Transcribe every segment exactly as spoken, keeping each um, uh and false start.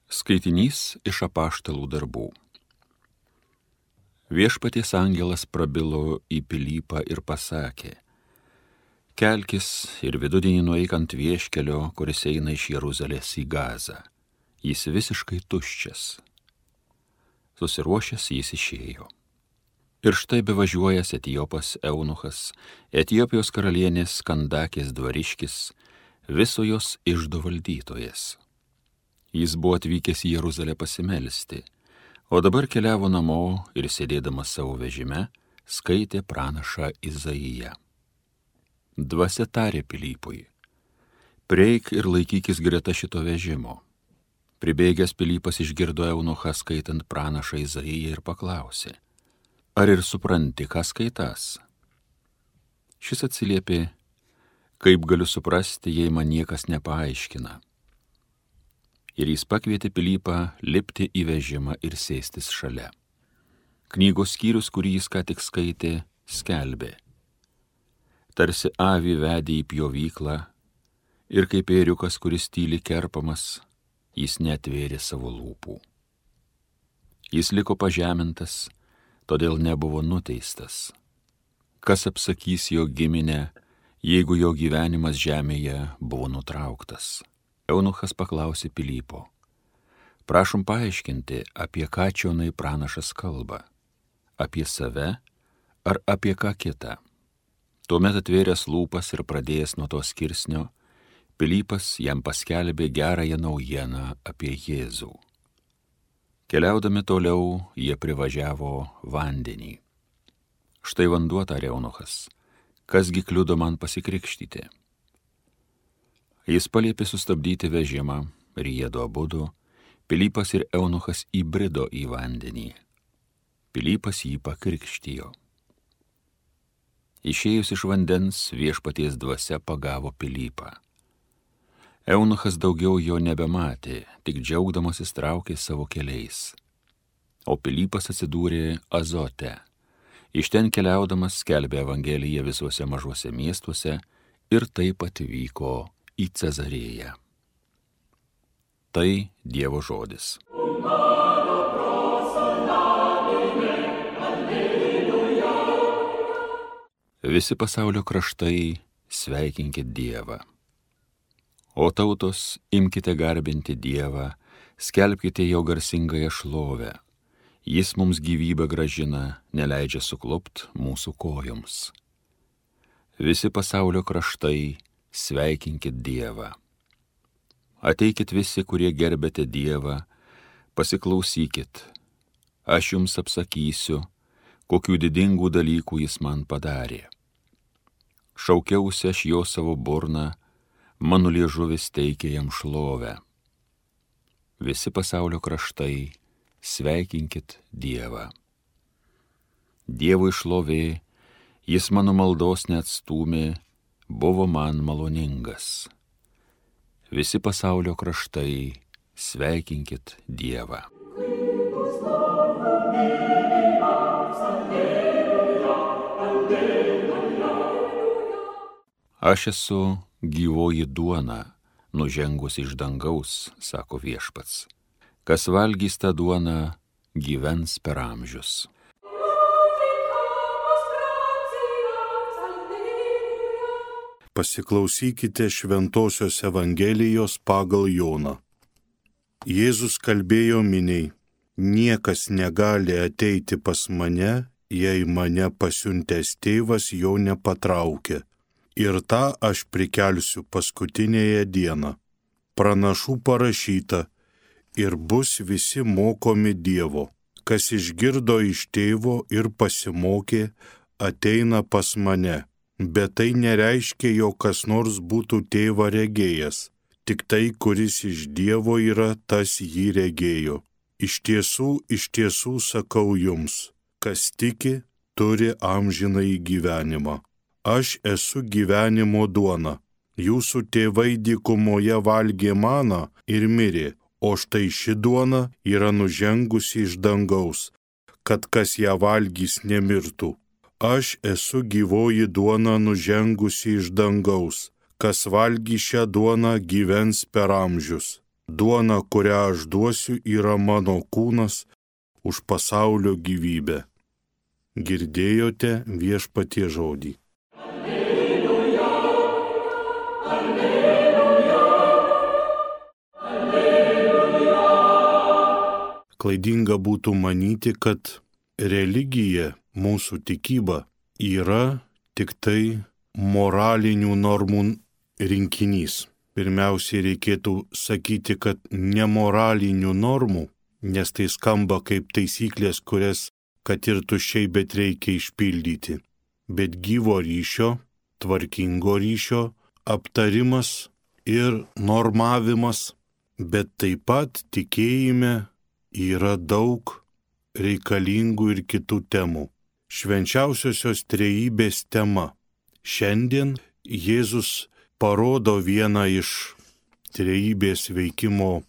Skaitinys iš apaštalų darbų. Viešpaties angelas prabilo į Pilypą ir pasakė: Kelkis ir vidudienį nueik ant vieškelio, kuris eina iš Jeruzalės į Gazą. Jis visiškai tuščias. Susiruošęs jis išėjo. Ir štai bevažiuojas Etiopas Eunuchas, Etiopijos karalienės Kandakės dvariškis, viso jos iždo valdytojas. Jis buvo atvykęs į Jeruzalę pasimelsti, o dabar keliavo namo ir sėdėdamas savo vežime skaitė pranašą Izaiją. Dvasia tarė Pilypui: Prieik ir laikykis greta šito vežimo. Pribėgęs Pilypas išgirdo Eunuchą skaitant pranašą Izaiją ir paklausė: Ar ir supranti, ką skaitas? Šis atsiliepė: Kaip galiu suprasti, jei man niekas nepaaiškina? Ir jis pakvietė Pilypą lipti į vežimą ir sėstis šalia. Knygos skyrius, kurį jis ką tik skaitė, skelbė: Tarsi avį vedė į pjovyklą, ir kaip ėriukas, kuris tyli kerpamas, jis neatvėrė savo lūpų. Jis liko pažemintas, todėl nebuvo nuteistas. Kas apsakys jo giminę, jeigu jo gyvenimas žemėje buvo nutrauktas? Eunuchas paklausė Pilypo: Prašom paaiškinti, apie ką čionai pranašas kalba, apie save ar apie ką kitą? Tuomet atvėręs lūpas ir pradėjęs nuo to skirsnio, Pilypas jam paskelbė gerąją naujieną apie Jėzų. Keliaudami toliau, jie privažiavo vandenį. Štai vanduo, tarė Eunuchas, kasgi kliudo man pasikrikštyti? Jis paliepė sustabdyti vežimą ir jiedu abudu, Pilypas ir Eunuchas įbrido į vandenį. Pilypas jį pakrikštijo. Išėjus iš vandens, Viešpaties dvasia pagavo Pilypą. Eunuchas daugiau jo nebematė, tik džiaugdamasis traukė savo keliais. O Pilypas atsidūrė Azote. Iš ten keliaudamas skelbė Evangeliją visuose mažuose miestuose ir taip atvyko į Cezarėją. Tai Dievo žodis. Visi pasaulio kraštai sveikinkit Dievą. O tautos, imkite garbinti Dievą, skelbkite jo garsingąją šlovę. Jis mums gyvybę gražina, neleidžia suklupt mūsų kojoms. Visi pasaulio kraštai sveikinkit Dievą. Ateikit visi, kurie gerbėte Dievą, pasiklausykit. Aš jums apsakysiu, kokių didingų dalykų jis man padarė. Šaukiausi aš jo savo burną, mano liežuvis teikė jam šlovę. Visi pasaulio kraštai sveikinkit Dievą. Dievui šlovė, jis mano maldos neatstūmė, buvo man maloningas. Visi pasaulio kraštai sveikinkit Dievą. Aš esu gyvoji duona, nužengus iš dangaus, sako Viešpats. Kas valgys tą duoną, gyvens per amžius. Pasiklausykite Šventosios Evangelijos pagal Joną. Jėzus kalbėjo miniai: Niekas negali ateiti pas mane, jei mane pasiuntęs tėvas jo nepatraukia. Ir tą aš prikelsiu paskutinėje dieną. Pranašų parašyta: Ir bus visi mokomi Dievo. Kas išgirdo iš tėvo ir pasimokė, ateina pas mane. Bet tai nereiškia, jog kas nors būtų tėvą regėjęs. Tik tai, kuris iš Dievo yra, tas jį regėjo. Iš tiesų, iš tiesų sakau jums, kas tiki, turi amžinąjį gyvenimą. Aš esu gyvenimo duona. Jūsų tėvai dykumoje valgė maną ir mirė, o štai ši duona yra nužengusi iš dangaus, kad kas ją valgys nemirtų. Aš esu gyvoji duona nužengusi iš dangaus. Kas valgy šią duoną, gyvens per amžius. Duona, kurią aš duosiu, yra mano kūnas už pasaulio gyvybę. Girdėjote Viešpaties žodį. Alleluja, alleluja, alleluja. Klaidinga būtų manyti, kad religija, mūsų tikyba, yra tik tai moralinių normų rinkinys. Pirmiausiai reikėtų sakyti, kad nemoralinių normų, nes tai skamba kaip taisyklės, kurias kad ir tuščiai, bet reikia išpildyti. Bet gyvo ryšio, tvarkingo ryšio, aptarimas ir normavimas, bet taip pat tikėjime yra daug reikalingų ir kitų temų. Švenčiausiosios trejybės tema. Šiandien Jėzus parodo vieną iš trejybės veikimo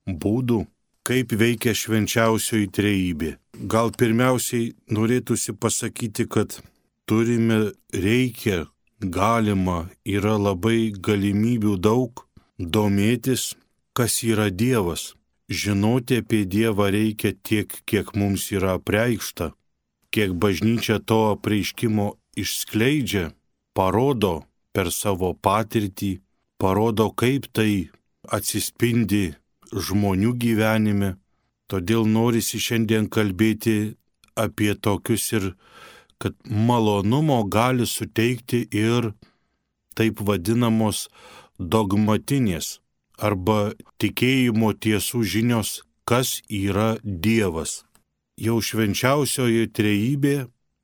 būdų, kaip veikia švenčiausioji trejybė. Gal pirmiausiai norėtųsi pasakyti, kad turime, reikia, galima, yra labai galimybių daug domėtis, kas yra Dievas. Žinoti apie Dievą reikia tiek, kiek mums yra apreikšta, kiek bažnyčia to apreiškimo išskleidžia, parodo per savo patirtį, parodo, kaip tai atsispindi žmonių gyvenime. Todėl norisi šiandien kalbėti apie tokius ir, kad malonumo gali suteikti ir taip vadinamos dogmatinės arba tikėjimo tiesų žinios, kas yra Dievas. Jau švenčiausioji trejybė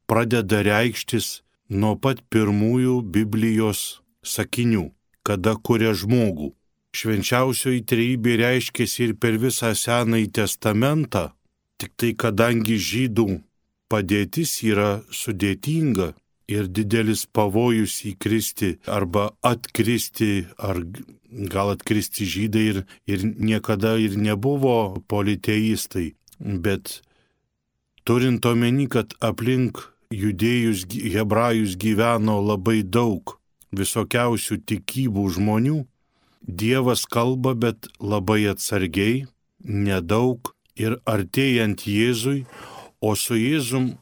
pradeda reikštis nuo pat pirmųjų Biblijos sakinių, kada kuria žmogų. Švenčiausioji trejybė reiškėsi ir per visą Senąjį testamentą, tik tai kadangi žydų padėtis yra sudėtinga ir didelis pavojus įkristi arba atkristi, ar gal atkristi žydai ir, ir niekada ir nebuvo politeistai, bet turint omeny, kad aplink judėjus hebrajus gyveno labai daug visokiausių tikybų žmonių, Dievas kalba, bet labai atsargiai, nedaug ir artėjant Jėzui, o su Jėzum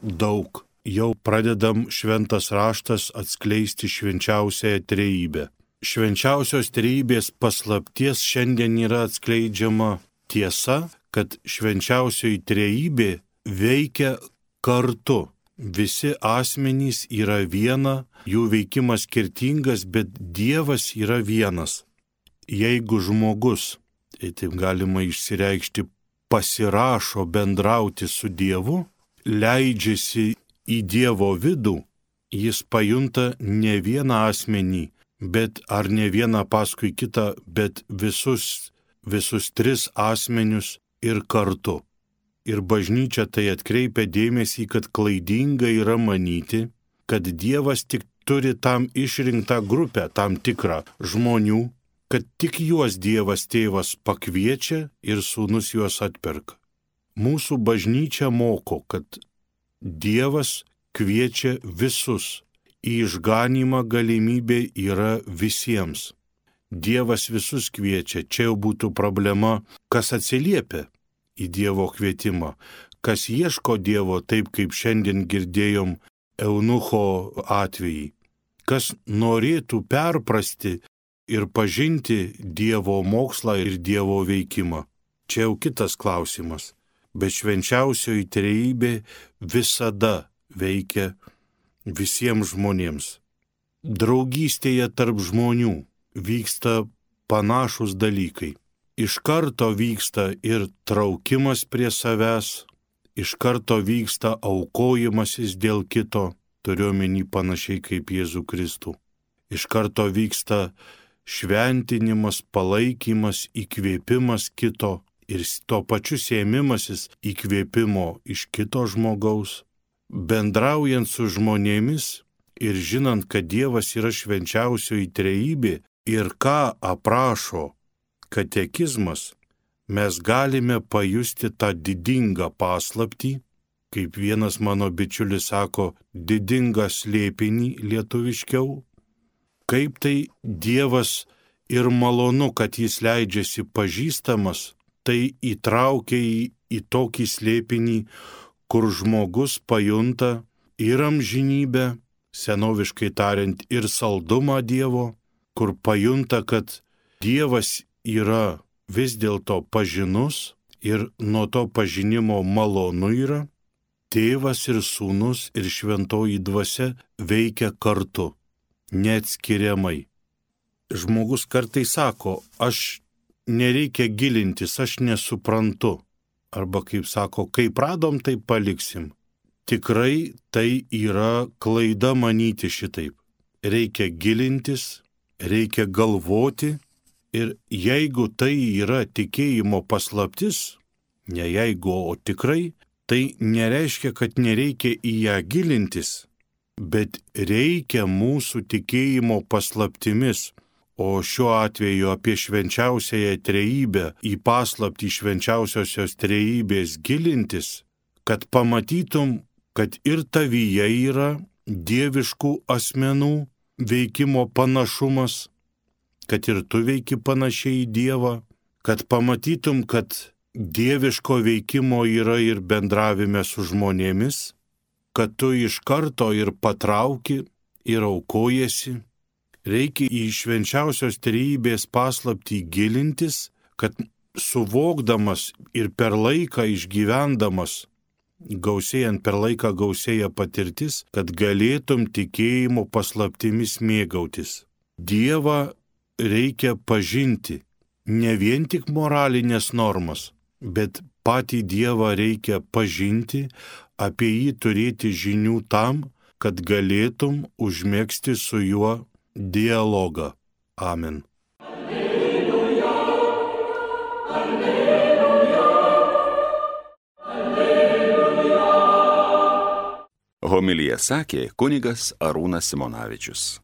daug. Jau pradedam šventas raštas atskleisti švenčiausiąją trejybę. Švenčiausios trejybės paslapties šiandien yra atskleidžiama tiesa, kad švenčiausioji trejybė veikia kartu. Visi asmenys yra viena, jų veikimas skirtingas, bet Dievas yra vienas. Jeigu žmogus, tai taip galima išsireikšti, pasirašo bendrauti su Dievu, leidžiasi į Dievo vidų, jis pajunta ne vieną asmenį, bet ar ne vieną paskui kitą, bet visus, visus tris asmenius ir kartu. Ir bažnyčia tai atkreipia dėmesį, kad klaidinga yra manyti, kad Dievas tik turi tam išrinktą grupę, tam tikrą žmonių, kad tik juos Dievas tėvas pakviečia ir sūnus juos atperka. Mūsų bažnyčia moko, kad Dievas kviečia visus. Į išganymą galimybė yra visiems. Dievas visus kviečia. Čia jau būtų problema, kas atsiliepia į Dievo kvietimą, kas ieško Dievo, taip kaip šiandien girdėjom eunucho atvejį, kas norėtų perprasti ir pažinti Dievo mokslą ir Dievo veikimą. Čia jau kitas klausimas, bet švenčiausioji trejybė visada veikia visiems žmonėms. Draugystėje tarp žmonių vyksta panašus dalykai. Iš karto vyksta ir traukimas prie savęs, iš karto vyksta aukojimasis dėl kito, turiuomenį panašiai kaip Jėzų Kristų. Iš karto vyksta šventinimas, palaikymas, įkvėpimas kito ir tuo pačiu sėmimasis įkvėpimo iš kito žmogaus. Bendraujant su žmonėmis ir žinant, kad Dievas yra švenčiausioji trejybė ir ką aprašo katekizmas, mes galime pajusti tą didingą paslaptį, kaip vienas mano bičiulis sako, didingą slėpinį lietuviškiau, kaip tai Dievas ir malonu, kad jis leidžiasi pažįstamas, tai įtraukia į, į tokį slėpinį, kur žmogus pajunta ir amžinybę, senoviškai tariant, ir saldumą Dievo, kur pajunta, kad Dievas yra vis dėlto pažinus ir nuo to pažinimo malonu yra. Tėvas ir sūnus ir šventoji dvasia veikia kartu, neatskiriamai. Žmogus kartais sako, aš nereikia gilintis, aš nesuprantu. Arba kaip sako, kaip radom, tai paliksim. Tikrai tai yra klaida manyti šitaip. Reikia gilintis, reikia galvoti ir jeigu tai yra tikėjimo paslaptis, ne jeigu, o tikrai, tai nereiškia, kad nereikia į ją gilintis, bet reikia mūsų tikėjimo paslaptimis, o šiuo atveju apie švenčiausiąją trejybę, į paslaptį švenčiausiosios trejybės gilintis, kad pamatytum, kad ir tavyje yra dieviškų asmenų veikimo panašumas, kad ir tu veiki panašiai į Dievą, kad pamatytum, kad dieviško veikimo yra ir bendravime su žmonėmis, kad tu iš karto ir patrauki, ir aukojasi. Reikia į švenčiausios trejybės paslaptį gilintis, kad suvokdamas ir per laiką išgyvendamas, gausėjant per laiką gausėja patirtis, kad galėtum tikėjimo paslaptimis mėgautis. Dievą reikia pažinti, ne vien tik moralinės normas, bet patį Dievą reikia pažinti, apie jį turėti žinių tam, kad galėtum užmegzti su juo dialogą. Amen. Alleluja, alleluja, alleluja. Homiliją sakė kunigas Arūnas Simonavičius.